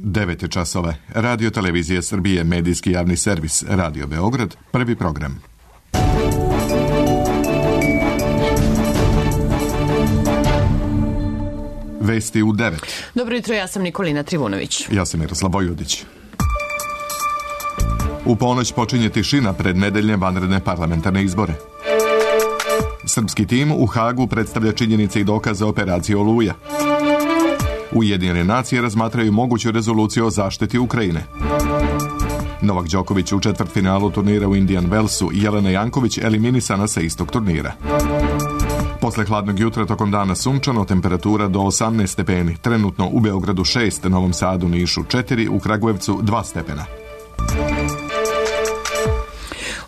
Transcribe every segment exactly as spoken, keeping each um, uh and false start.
devet časova. Radio Televizija Srbije, medijski javni servis, Radio Beograd, prvi program. Vesti u devet. Dobro jutro, ja sam Nikolina Trivunović. Ja sam Miroslav Vojudić. U ponoć počinje tišina pred nedeljne vanredne parlamentarne izbore. Srpski tim u Hagu predstavlja činjenice i dokaze operacije Oluja. Ujedinjene nacije razmatraju moguću rezoluciju o zaštiti Ukrajine. Novak Đoković u četvrtfinalu turnira u Indian Wellsu i Jelena Janković eliminisana sa istog turnira. Posle hladnog jutra tokom dana sunčano, temperatura do osamnaest stepeni, trenutno u Beogradu šest, Novom Sadu, Nišu četiri, u Kragujevcu dva stepena.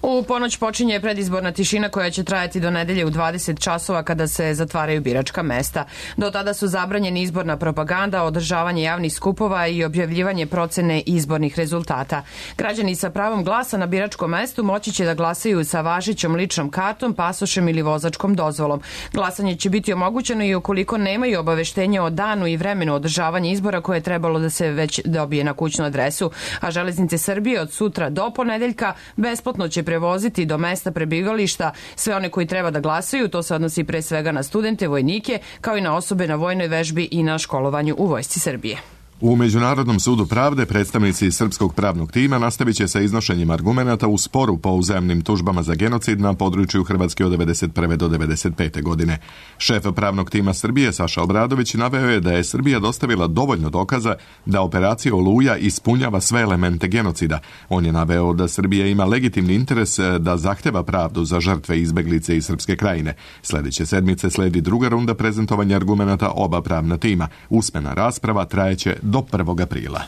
U ponoć počinje predizborna tišina koja će trajati do nedelje u dvadeset časova kada se zatvaraju biračka mesta. Do tada su zabranjeni izborna propaganda, održavanje javnih skupova i objavljivanje procene izbornih rezultata. Građani sa pravom glasa na biračkom mestu moći će da glasaju sa važećom ličnom kartom, pasošem ili vozačkom dozvolom. Glasanje će biti omogućeno i ukoliko nemaju obaveštenja o danu i vremenu održavanja izbora koje je trebalo da se već dobije na kućnu adresu. A Železnice Srbije od sutra do ponedeljka besplatno će prevoziti do mesta prebivališta sve one koji treba da glasaju. To se odnosi pre svega na studente, vojnike, kao i na osobe na vojnoj vežbi i na školovanju u Vojsci Srbije. U Međunarodnom sudu pravde predstavnici srpskog pravnog tima nastavit će sa iznošenjem argumenata u sporu po uzajamnim tužbama za genocid na području Hrvatske od devedeset prve do devedeset pete godine. Šef pravnog tima Srbije Saša Obradović naveo je da je Srbija dostavila dovoljno dokaza da operacija Oluja ispunjava sve elemente genocida. On je naveo da Srbija ima legitimni interes da zahteva pravdu za žrtve izbeglice iz Srpske krajine. Sledeće sedmice sledi druga runda prezentovanja argumenata oba pravna tima. Usmena rasprava trajeće do prvog aprila.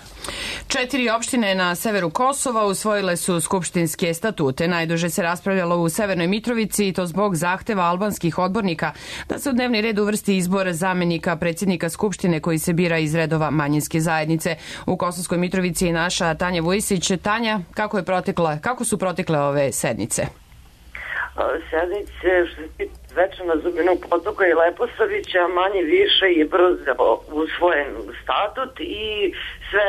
Četiri opštine na severu Kosova usvojile su skupštinske statute. Najduže se raspravljalo u Severnoj Mitrovici i to zbog zahteva albanskih odbornika da se u dnevni red uvrsti izbor zamenika predsjednika skupštine koji se bira iz redova manjinske zajednice. U Kosovskoj Mitrovici je naša Tanja Vujsić. Tanja, kako je protekla, kako su protekle ove sednice? Sednice što se Večana Zubinog potoka i Leposavića manje više je brzo usvojen statut i sve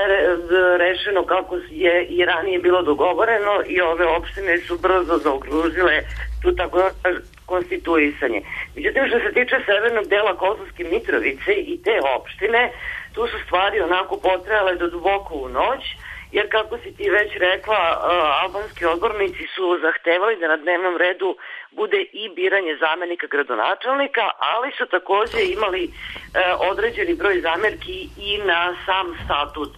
rešeno kako je i ranije bilo dogovoreno i ove opštine su brzo zaokružile tu tako konstituisanje. Međutim, što se tiče severnog dela Kosovske Mitrovice i te opštine, tu su stvari onako potrajale do duboko u noć, jer kako si ti već rekla, albanski odbornici su zahtevali da na dnevnom redu bude i biranje zamenika gradonačelnika, ali su takođe imali određeni broj zamerki i na sam statut.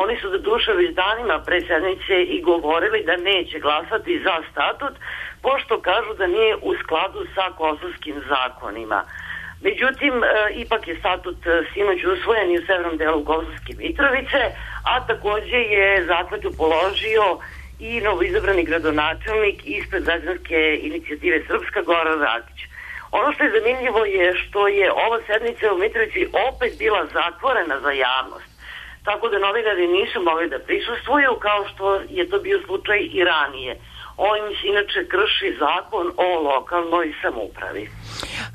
Oni su doduše već danima pre sednice i govorili da neće glasati za statut, pošto kažu da nije u skladu sa kosovskim zakonima. Međutim, ipak je statut sinoć usvojen i u severnom delu Kosovske Mitrovice, a takođe je zakletvu položio i novoizabrani gradonačelnik ispred građanske inicijative Srpska, Goran Rakić. Ono što je zanimljivo je što je ova sednica u Mitrovici opet bila zatvorena za javnost, tako da novinari nisu mogli da prisustvuju kao što je to bio slučaj i ranije. Ovim se inače krši zakon o lokalnoj samoupravi.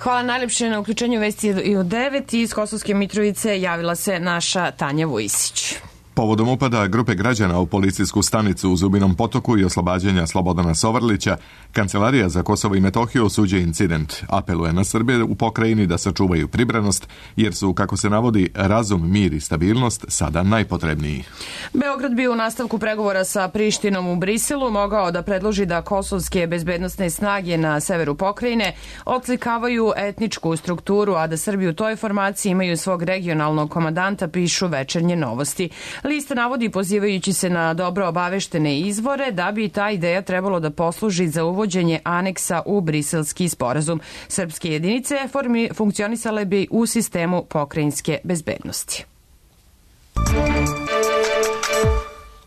Hvala najlepše na uključenju vesti i u devet. Iz Kosovske Mitrovice javila se naša Tanja Vujsić. Povodom upada grupe građana u policijsku stanicu u Zubinom potoku i oslobađanja Slobodana Sovrlića, Kancelarija za Kosovo i Metohiju osuđuje incident. Apeluje na Srbe u pokrajini da sačuvaju pribranost, jer su, kako se navodi, razum, mir i stabilnost sada najpotrebniji. Beograd bi u nastavku pregovora sa Prištinom u Briselu mogao da predloži da kosovske bezbednosne snage na severu pokrajine odslikavaju etničku strukturu, a da Srbi u toj formaciji imaju svog regionalnog komandanta, pišu Večernje novosti. Lista navodi, pozivajući se na dobro obaveštene izvore, da bi ta ideja trebalo da posluži za uvođenje aneksa u briselski sporazum. Srpske jedinice formi funkcionisale bi u sistemu pokrajinske bezbednosti.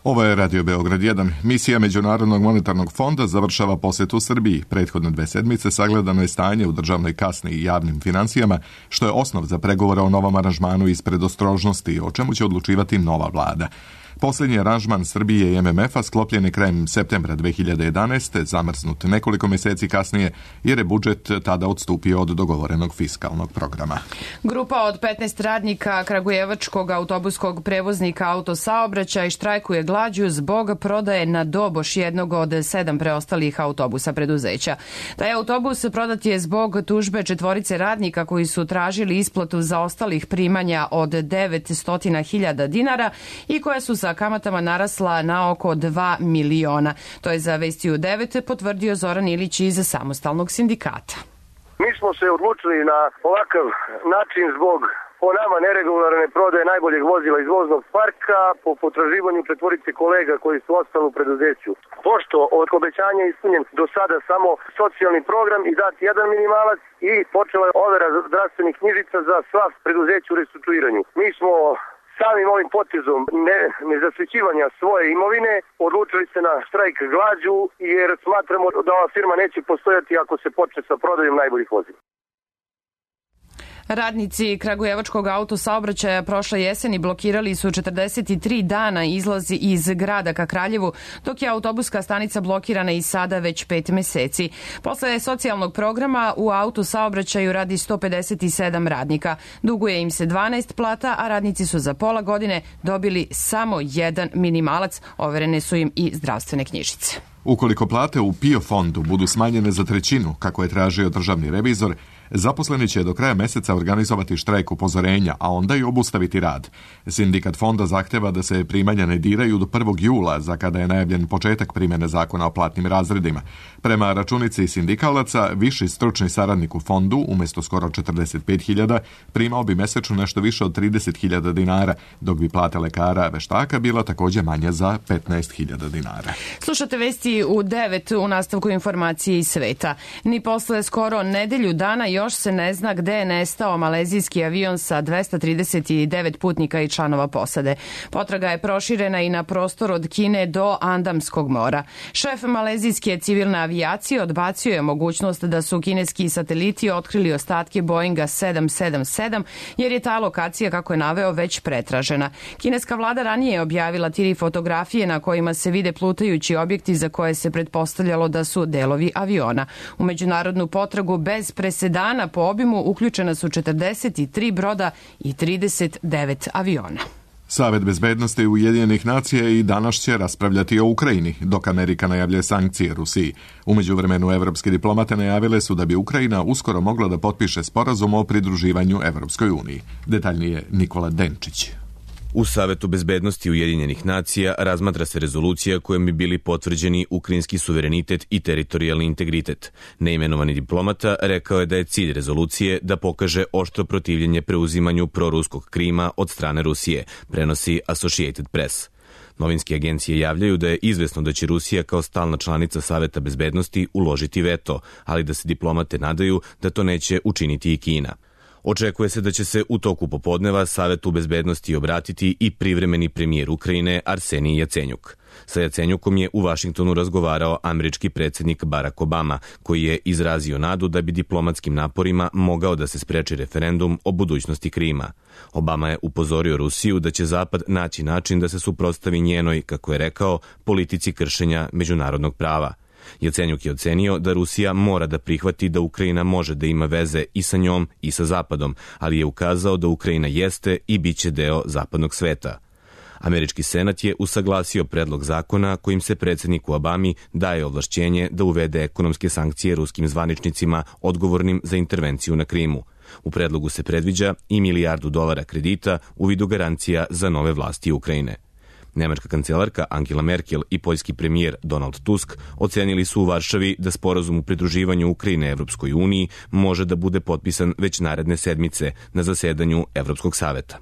Ovo je Radio Beograd jedan. Misija Međunarodnog monetarnog fonda završava posetu Srbiji. Prethodne dve sedmice sagledano je stanje u državnoj kasni i javnim financijama, što je osnov za pregovore o novom aranžmanu iz predostrožnosti, o čemu će odlučivati nova vlada. Posljednji aranžman Srbije i M M F-a sklopljen je krajem septembra dve hiljade jedanaeste, zamrznut nekoliko mjeseci kasnije jer je budžet tada odstupio od dogovorenog fiskalnog programa. Grupa od petnaest radnika kragujevačkog autobuskog prevoznika Autosaobraćaj štrajkuje glađu zbog prodaje na doboš jednog od sedam preostalih autobusa preduzeća. Taj autobus prodat je zbog tužbe četvorice radnika koji su tražili isplatu zaostalih primanja od devetsto hiljada dinara i koja su sa kamatama narasla na oko dva miliona. To je za Vesti u devet potvrdio Zoran Ilić iz Samostalnog sindikata. Mi smo se odlučili na ovakav način zbog po nama neregularne prodaje najboljeg vozila iz voznog parka po potraživanju četvorice kolega koji su ostali u preduzeću. Pošto od obećanja ispunjen do sada samo socijalni program i dati jedan minimalac i počela je overa zdravstvenih knjižica za sva preduzeća u restrukturiranju. Mi smo samim ovim potezom ne, nezasvećivanja svoje imovine odlučili se na štrajk glađu jer smatramo da ova firma neće postojati ako se počne sa prodajom najboljih vozila. Radnici kragujevačkog autosaobraćaja prošle jeseni blokirali su četrdeset tri dana izlazi iz grada ka Kraljevu, dok je autobuska stanica blokirana i sada već pet meseci. Posle socijalnog programa u autosaobraćaju radi sto pedeset sedam radnika. Duguje im se dvanaest plata, a radnici su za pola godine dobili samo jedan minimalac. Overene su im i zdravstvene knjižice. Ukoliko plate u PIO fondu budu smanjene za trećinu, kako je tražio državni revizor, zaposleni će do kraja meseca organizovati štrajk upozorenja, a onda i obustaviti rad. Sindikat fonda zahteva da se primanja ne diraju do prvog jula, za kada je najavljen početak primjene zakona o platnim razredima. Prema računici sindikalaca, viši stručni saradnik u fondu, umjesto skoro četrdeset pet hiljada, primao bi mesečno nešto više od trideset hiljada dinara, dok bi plata lekara veštaka bila također manja za petnaest hiljada dinara. Slušate Vesti u devet u nastavku informacije iz sveta. Ni posle skoro nedelju dana još se ne zna gde je nestao malezijski avion sa dvesta trideset devet putnika i članova posade. Potraga je proširena i na prostor od Kine do Andamskog mora. Šef malezijske civilne avijacije odbacio je mogućnost da su kineski sateliti otkrili ostatke Boeinga sedam sedam sedam, jer je ta lokacija, kako je naveo, već pretražena. Kineska vlada ranije je objavila tri fotografije na kojima se vide plutajući objekti za koje se pretpostavljalo da su delovi aviona. U međunarodnu potragu bez presedana po obimu uključena su četrdeset tri broda i trideset devet aviona. Savet bezbednosti Ujedinjenih nacija i danas će raspravljati o Ukrajini, dok Amerika najavljuje sankcije Rusiji. U međuvremenu evropske diplomate najavile su da bi Ukrajina uskoro mogla da potpiše sporazum o pridruživanju Evropskoj uniji. Detaljnije Nikola Denčić. U Savetu bezbednosti Ujedinjenih nacija razmatra se rezolucija kojom bi bili potvrđeni ukrajinski suverenitet i teritorijalni integritet. Neimenovani diplomata rekao je da je cilj rezolucije da pokaže oštro protivljenje preuzimanju proruskog Krima od strane Rusije, prenosi Associated Press. Novinske agencije javljaju da je izvesno da će Rusija kao stalna članica Saveta bezbednosti uložiti veto, ali da se diplomate nadaju da to neće učiniti i Kina. Očekuje se da će se u toku popodneva Savetu bezbednosti obratiti i privremeni premijer Ukrajine Arsenij Jacenjuk. Sa Jacenjukom je u Vašingtonu razgovarao američki predsjednik Barack Obama, koji je izrazio nadu da bi diplomatskim naporima mogao da se spreči referendum o budućnosti Krima. Obama je upozorio Rusiju da će Zapad naći način da se suprotstavi njenoj, kako je rekao, politici kršenja međunarodnog prava. Jacenjuk je ocenio da Rusija mora da prihvati da Ukrajina može da ima veze i sa njom i sa Zapadom, ali je ukazao da Ukrajina jeste i bit će deo zapadnog sveta. Američki senat je usaglasio predlog zakona kojim se predsjedniku Obami daje ovlašćenje da uvede ekonomske sankcije ruskim zvaničnicima odgovornim za intervenciju na Krimu. U predlogu se predviđa i milijardu dolara kredita u vidu garancija za nove vlasti Ukrajine. Nemačka kancelarka Angela Merkel i poljski premijer Donald Tusk ocenili su u Varšavi da sporazum u pridruživanju Ukrajine Evropskoj uniji može da bude potpisan već naredne sedmice na zasedanju Evropskog saveta.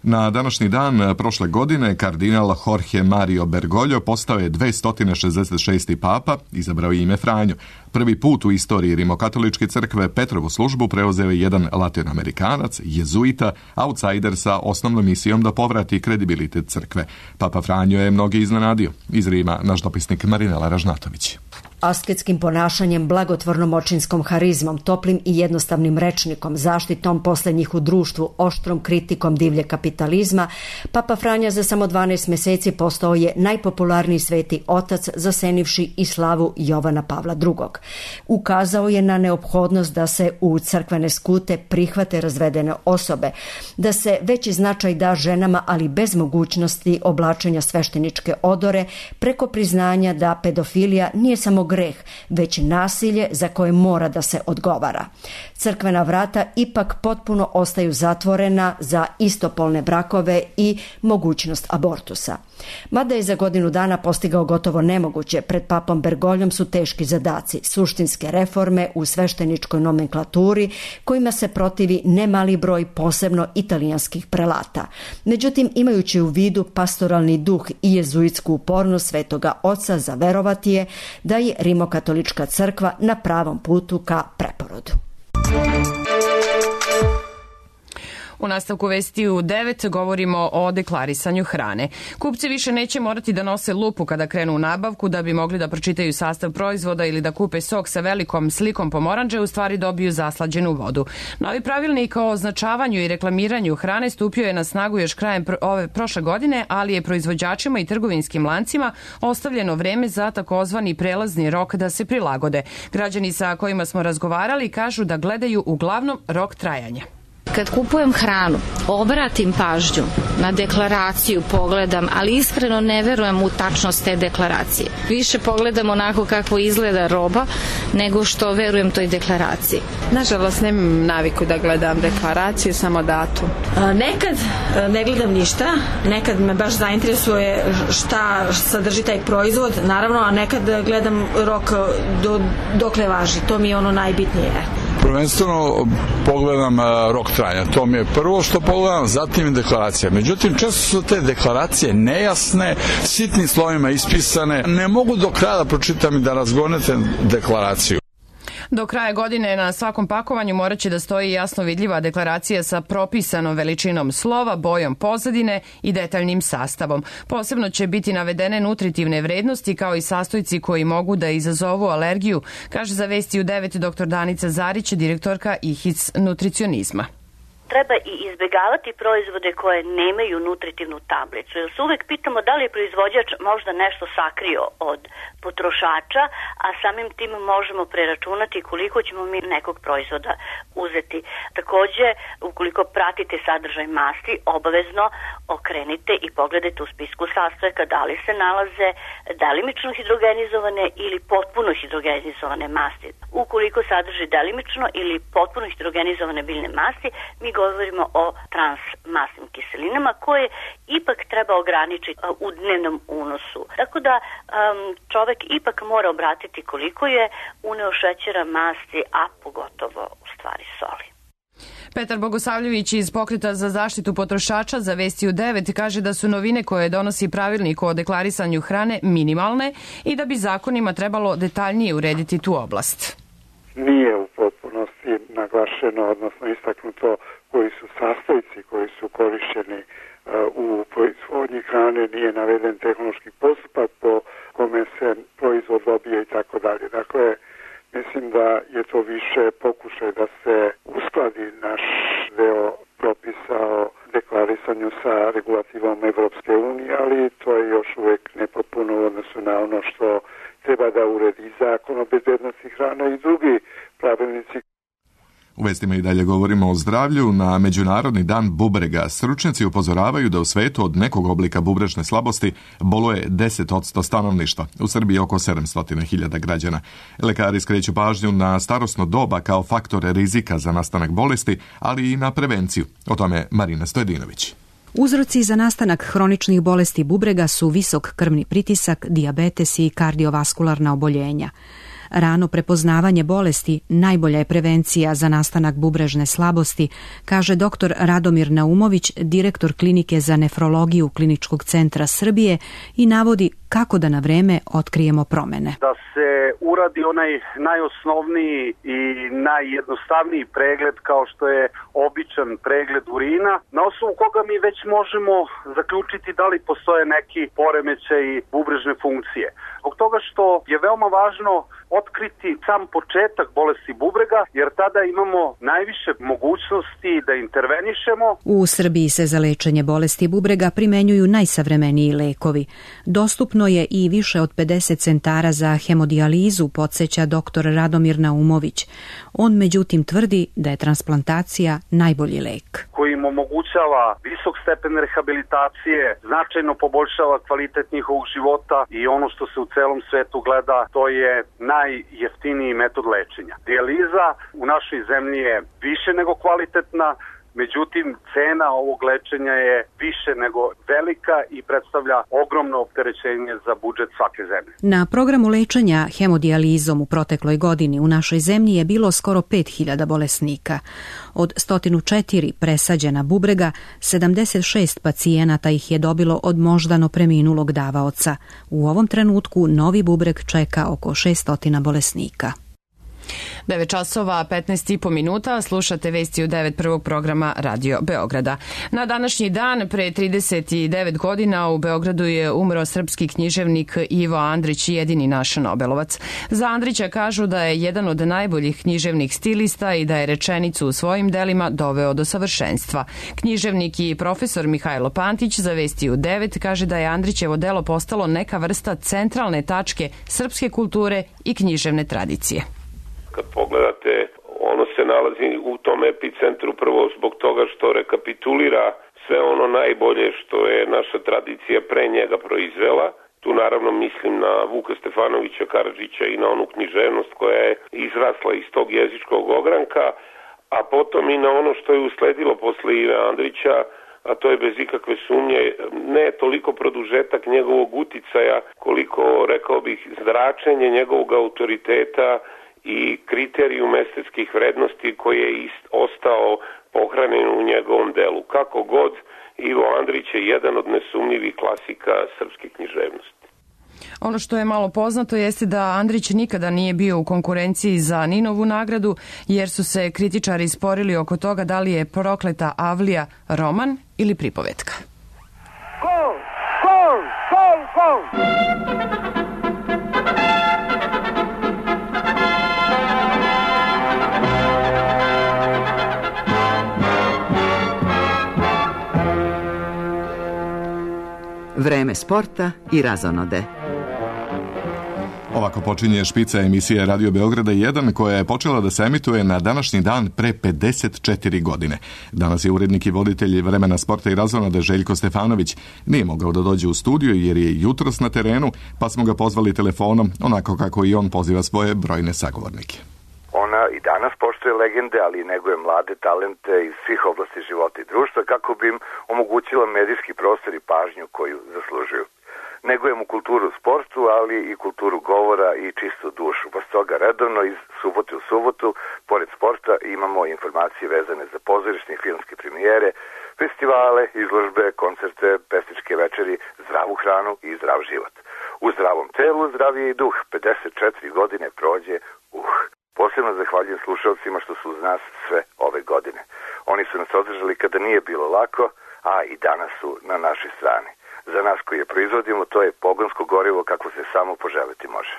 Na današnji dan prošle godine kardinal Jorge Mario Bergoglio postao je dvesta šezdeset šesti papa, izabrao je ime Franjo. Prvi put u istoriji rimokatoličke crkve Petrovu službu preuzeo je jedan latinoamerikanac, jezuita, outsider sa osnovnom misijom da povrati kredibilitet crkve. Papa Franjo je mnogi iznenadio. Iz Rima naš dopisnik Marinela Ražnatović. Asketskim ponašanjem, blagotvornom očinskom harizmom, toplim i jednostavnim rečnikom, zaštitom poslednjih u društvu, oštrom kritikom divlje kapitalizma, Papa Franja za samo dvanaest meseci postao je najpopularniji sveti otac, zasenivši i slavu Jovana Pavla drugog. Ukazao je na neophodnost da se u crkvene skute prihvate razvedene osobe, da se veći značaj da ženama, ali bez mogućnosti oblačenja svešteničke odore, preko priznanja da pedofilija nije samo greh, već nasilje za koje mora da se odgovara. Crkvena vrata ipak potpuno ostaju zatvorena za istopolne brakove i mogućnost abortusa. Mada je za godinu dana postigao gotovo nemoguće, pred papom Bergoljom su teški zadaci, suštinske reforme u svešteničkoj nomenklaturi kojima se protivi nemali broj posebno italijanskih prelata. Međutim, imajući u vidu pastoralni duh i jezuitsku upornost svetoga oca, za verovati je da je Rimokatolička crkva na pravom putu ka preporodu. U nastavku vesti u devet govorimo o deklarisanju hrane. Kupci više neće morati da nose lupu kada krenu u nabavku da bi mogli da pročitaju sastav proizvoda ili da kupe sok sa velikom slikom pomorandže, u stvari dobiju zaslađenu vodu. Novi pravilnik o označavanju i reklamiranju hrane stupio je na snagu još krajem ove prošle godine, ali je proizvođačima i trgovinskim lancima ostavljeno vreme za takozvani prelazni rok da se prilagode. Građani sa kojima smo razgovarali kažu da gledaju uglavnom rok trajanja. Kad kupujem hranu, obratim pažnju na deklaraciju, pogledam, ali iskreno ne verujem u tačnost te deklaracije. Više pogledam onako kako izgleda roba, nego što verujem toj deklaraciji. Nažalost, nemam naviku da gledam deklaraciju, samo datum. Nekad ne gledam ništa, nekad me baš zainteresuje šta sadrži taj proizvod, naravno, a nekad gledam rok do, dokle važi. To mi je ono najbitnije. Prvenstveno pogledam rok trajanja. To mi je prvo što pogledam, zatim i deklaracija. Međutim, često su te deklaracije nejasne, sitnim slovima ispisane. Ne mogu do kraja da pročitam i da razgonete deklaraciju. Do kraja godine na svakom pakovanju morat će da stoji jasno vidljiva deklaracija sa propisanom veličinom slova, bojom pozadine i detaljnim sastavom. Posebno će biti navedene nutritivne vrednosti kao i sastojci koji mogu da izazovu alergiju, kaže za Vesti u devet doktor Danica Zarić, direktorka I H I C nutricionizma. Treba i izbjegavati proizvode koje nemaju nutritivnu tablicu, jer se uvek pitamo da li je proizvođač možda nešto sakrio od potrošača, a samim tim možemo preračunati koliko ćemo mi nekog proizvoda uzeti. Takođe, ukoliko pratite sadržaj masti, obavezno okrenite i pogledajte u spisku sastojaka da li se nalaze delimično hidrogenizovane ili potpuno hidrogenizovane masti. Ukoliko sadrži delimično ili potpuno hidrogenizovane biljne masti, mi govorimo o transmasnim kiselinama koje ipak treba ograničiti u dnevnom unosu. Tako da um, čovek ipak mora obratiti koliko je uneo šećera, masti, a pogotovo u stvari soli. Petar Bogosavljević iz Pokreta za zaštitu potrošača za Vesti u devet kaže da su novine koje donosi pravilnik o deklarisanju hrane minimalne i da bi zakonima trebalo detaljnije urediti tu oblast. Nije u potpunosti naglašeno, odnosno istaknuto koji su sastojci koji su korišćeni u proizvodnji hrane, nije naveden tehnološki postupak po kome se proizvod dobije i tako dalje. Dakle, mislim da je to više pokušaj da se uskladi naš deo propisa o deklarisanju sa regulativom Evropske unije, ali to je još uvek nepotpuno u odnosu na ono što treba da uredi Zakon o bezbednosti hrane i drugi pravilnici. U vestima i dalje govorimo o zdravlju. Na Međunarodni dan bubrega stručnjaci upozoravaju da u svetu od nekog oblika bubrežne slabosti boluje deset posto stanovništva. U Srbiji oko sedamsto hiljada građana. Lekari skreću pažnju na starosno doba kao faktore rizika za nastanak bolesti, ali i na prevenciju. O tome Marina Stojedinović. Uzroci za nastanak hroničnih bolesti bubrega su visok krvni pritisak, dijabetes i kardiovaskularna oboljenja. Rano prepoznavanje bolesti najbolja je prevencija za nastanak bubrežne slabosti, kaže doktor Radomir Naumović, direktor klinike za nefrologiju Kliničkog centra Srbije, i navodi kako da na vreme otkrijemo promene. Da se uradi onaj najosnovniji i najjednostavniji pregled kao što je običan pregled urina, na osnovu koga mi već možemo zaključiti da li postoje neki poremećaj bubrežne funkcije. Zbog toga što je veoma važno otkriti sam početak bolesti bubrega, jer tada imamo najviše mogućnosti da intervenišemo. U Srbiji se za lečenje bolesti bubrega primenjuju najsavremeniji lekovi. Dostupno je i više od pedeset centara za hemodijalizu, podsjeća doktor Radomir Naumović. On međutim tvrdi da je transplantacija najbolji lek. Koji im omogućava visok stepen rehabilitacije, značajno poboljšava kvalitet njihovog života i ono što se u celom svetu gleda, to je najjeftiniji metod lečenja. Dijaliza u našoj zemlji je više nego kvalitetna, međutim cena ovog lečenja je više nego velika i predstavlja ogromno opterećenje za budžet svake zemlje. Na programu lečenja hemodijalizom u protekloj godini u našoj zemlji je bilo skoro pet hiljada bolesnika. Od sto četiri presađena bubrega, sedamdeset šest pacijenata ih je dobilo od moždano preminulog davaoca. U ovom trenutku novi bubreg čeka oko šesnaest bolesnika. devet časova petnaest i po minuta, slušate vesti u devet prvog programa Radio Beograda. Na današnji dan, pre trideset devet godina, u Beogradu je umro srpski književnik Ivo Andrić, jedini naš Nobelovac. Za Andrića kažu da je jedan od najboljih književnih stilista i da je rečenicu u svojim delima doveo do savršenstva. Književnik i profesor Mihajlo Pantić za vesti u devet kaže da je Andrićevo delo postalo neka vrsta centralne tačke srpske kulture i književne tradicije. Kad pogledate, ono se nalazi u tom epicentru prvo zbog toga što rekapitulira sve ono najbolje što je naša tradicija pre njega proizvela. Tu naravno mislim na Vuka Stefanovića Karadžića i na onu književnost koja je izrasla iz tog jezičkog ogranka, a potom i na ono što je usledilo posle Ive Andrića, a to je bez ikakve sumnje ne toliko produžetak njegovog uticaja, koliko, rekao bih, zračenje njegovog autoriteta i kriterijum estetskih vrednosti koji je ostao pohranjen u njegovom delu. Kako god, Ivo Andrić je jedan od nesumnjivih klasika srpske književnosti. Ono što je malo poznato jeste da Andrić nikada nije bio u konkurenciji za Ninovu nagradu, jer su se kritičari sporili oko toga da li je Prokleta Avlija roman ili pripovetka. Gol! Gol! Gol! Gol! Vreme sporta i razonode. Ovako počinje špica emisije Radio Beograda jedan koja je počela da se emituje na današnji dan pre pedeset četiri godine. Danas je urednik i voditelj Vremena sporta i razonode Željko Stefanović. Nije mogao da dođe u studiju jer je jutros na terenu, pa smo ga pozvali telefonom, onako kako i on poziva svoje brojne sagovornike. Ona i danas poštuje legende, ali i neguje mlade talente iz svih oblasti života i društva kako bi im omogućila medijski prostor i pažnju koju zaslužuju. Negujemo kulturu u sportu, ali i kulturu govora i čistu dušu. Pa stoga redovno iz subote u subotu, pored sporta, imamo informacije vezane za pozorišne i filmske premijere, festivale, izložbe, koncerte, pesničke večeri, zdravu hranu i zdrav život. U zdravom telu zdrav je i duh. pedeset četiri godine prođe, uh. Posebno zahvaljujem slušalcima što su uz nas sve ove godine. Oni su nas održali kada nije bilo lako, a i danas su na našoj strani. Za nas koji je proizvodimo, to je pogonsko gorivo kako se samo poželiti može.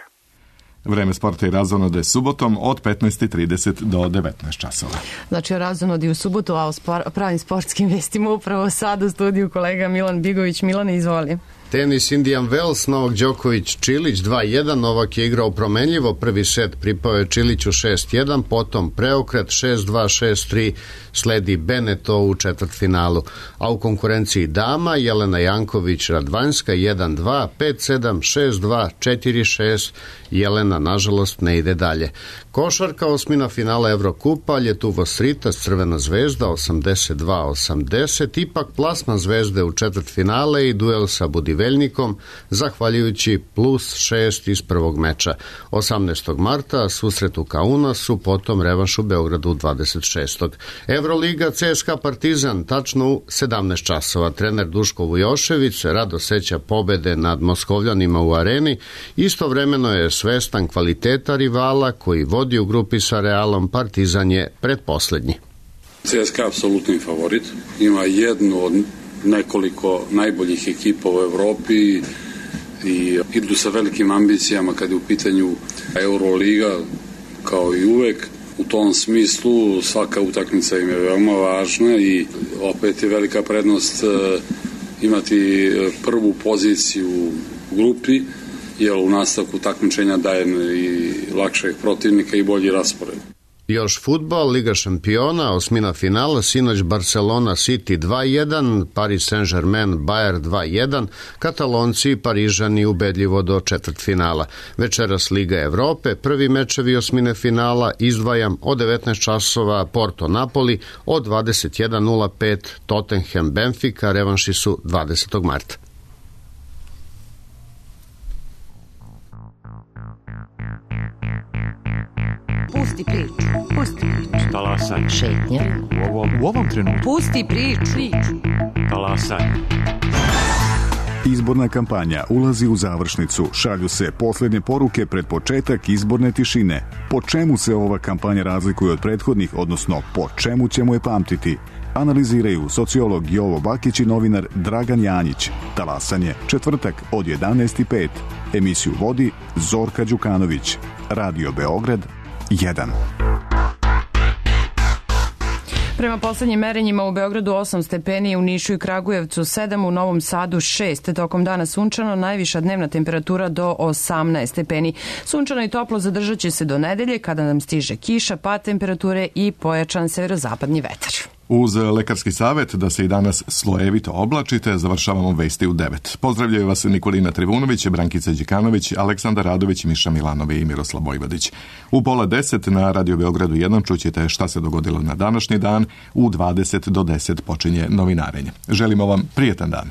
Vreme sporta i razonode subotom od petnaest i trideset do devetnaest časova. Znači o razonodi u subotu, a o spor, pravim sportskim vestima upravo sad u studiju kolega Milan Bigović. Milane, izvoli. Tenis Indian Wells, Novak Đoković Čilić dva jedan, Novak je igrao promenljivo, prvi set pripao je Čiliću šest jedan, potom preokret šest dva šest tri, sledi Beneto u četvrtfinalu, a u konkurenciji dama Jelena Janković Radvanjska jedan dva, pet sedam, šest dva, četiri šest, Jelena nažalost ne ide dalje. Košarka, osmina finala Evrokupa, Ljetuvo Sritas Crvena zvezda osamdeset dva osamdeset, ipak plasman Zvezde u četvrtfinale i duel sa Budivelom Iveljnikom, zahvaljujući plus šest iz prvog meča. osamnaestog marta susret u Kaunasu, potom revanš u Beogradu dvadeset šestog Evroliga C S K A Partizan, tačno u sedamnaest časova. Trener Duško Vujošević rado seća pobede nad Moskovljanima u areni. Istovremeno je svestan kvaliteta rivala koji vodi u grupi sa Realom. Partizan je predposlednji. C S K A apsolutni favorit. Ima jednu od nekoliko najboljih ekipa u Evropi i idu sa velikim ambicijama kad je u pitanju Euroliga, kao i uvek. U tom smislu svaka utakmica im je veoma važna i opet je velika prednost imati prvu poziciju u grupi, jer u nastavku takmičenja daje i lakšeg protivnika i bolji raspored. Još fudbal, Liga šampiona, osmina finala, sinoć Barcelona City dva jedan, Paris Saint-Germain Bayern dva jedan, Katalonci i Parižani ubedljivo do četvrtfinala. Večeras Liga Evrope, prvi mečevi osmine finala, izdvajam od devetnaest časova Porto Napoli, od dvadeset jedan nula pet Tottenham Benfica, revanši su dvadesetog marta. Pusti priču, pusti priču. Talasaj. Šetnja. U ovom, u ovom trenutku. Pusti priču. priču. Talasaj. Izborna kampanja ulazi u završnicu. Šalju se posljednje poruke pred početak izborne tišine. Po čemu se ova kampanja razlikuje od prethodnih, odnosno po čemu ćemo je pamtiti? Analiziraju sociolog Jovo Bakić i novinar Dragan Janjić. Talasanje, četvrtak od jedanaest i pet. Emisiju vodi Zorka Đukanović. Radio Beograd jedan. Prema poslednjim merenjima u Beogradu osam stepeni, u Nišu i Kragujevcu sedam, u Novom Sadu šest. Tokom dana sunčano, najviša dnevna temperatura do osamnaest stepeni. Sunčano i toplo zadržat će se do nedelje kada nam stiže kiša, pad temperature i pojačan severozapadni vetar. Uz lekarski savjet da se i danas slojevito oblačite, završavamo vesti u devet. Pozdravljaju vas Nikolina Trivunović, Brankica Đikanović, Aleksandar Radović, Miša Milanovi i Miroslav Vojvodić. U pola deset na Radio Beogradu jedan čućete šta se dogodilo na današnji dan, u dvadeset do deset počinje novinarenje. Želimo vam prijetan dan.